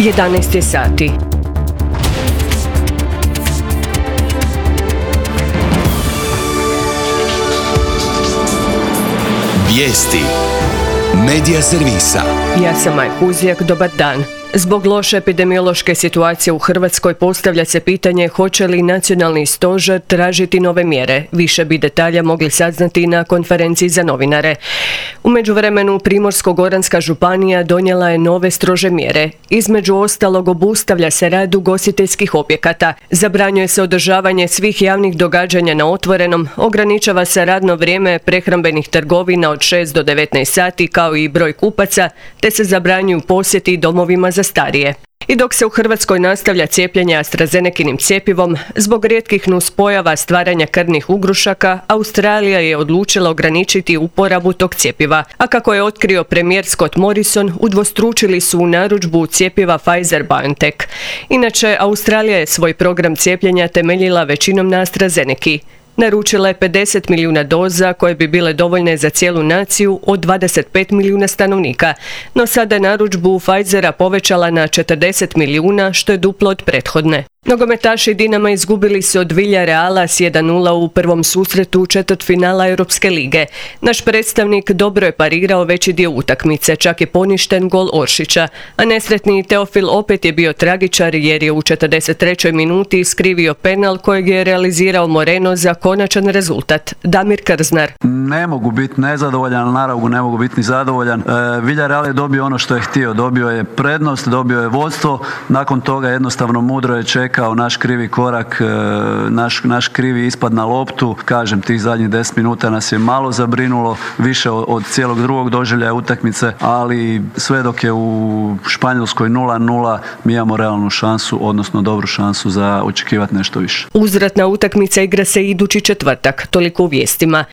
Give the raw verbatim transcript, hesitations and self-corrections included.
jedanaest je sati. Vijesti Medija servisa. Ja sam Maj Huzjak, dobar dan. Zbog loše epidemiološke situacije u Hrvatskoj postavlja se pitanje hoće li nacionalni stožer tražiti nove mjere. Više bi detalja mogli saznati na konferenciji za novinare. U međuvremenu Primorsko-goranska županija donijela je nove strože mjere. Između ostalog obustavlja se rad ugostiteljskih objekata. Zabranjuje se održavanje svih javnih događanja na otvorenom, ograničava se radno vrijeme prehrambenih trgovina od šest do devetnaest sati kao i broj kupaca, te se zabranjuju posjeti domovima za starije. I dok se u Hrvatskoj nastavlja cijepljenje AstraZenekinim cjepivom, zbog rijetkih nuspojava stvaranja krvnih ugrušaka, Australija je odlučila ograničiti uporabu tog cjepiva. A kako je otkrio premijer Scott Morrison, udvostručili su u narudžbu cjepiva Pfizer-BioNTech. Inače, Australija je svoj program cijepljenja temeljila većinom na AstraZeneki. Naručila je pedeset milijuna doza koje bi bile dovoljne za cijelu naciju od dvadeset pet milijuna stanovnika, no sada je narudžbu Pfizera povećala na četrdeset milijuna, što je duplo od prethodne. Nogometaši Dinama izgubili su od Villareala s jedan nula u prvom susretu četvrtfinala Europske lige. Naš predstavnik dobro je parirao veći dio utakmice, čak je poništen gol Oršića, a nesretni Teofil opet je bio tragičar jer je u četrdeset trećoj minuti iskrivio penal kojeg je realizirao Moreno za konačan rezultat. Damir Krznar. Ne mogu biti nezadovoljan, naravno ne mogu biti ni zadovoljan. E, Villarreal je dobio ono što je htio, dobio je prednost, dobio je vodstvo, nakon toga jednostavno mudro je čekao naš krivi korak, e, naš, naš krivi ispad na loptu. Kažem, tih zadnjih deset minuta nas je malo zabrinulo, više od, od cijelog drugog doživljaja utakmice, ali sve dok je u Španjolskoj nula nula mi imamo realnu šansu, odnosno dobru šansu za očekivati nešto više. Uzvratna utakmica igra se idući četvrtak, toliko u vijestima.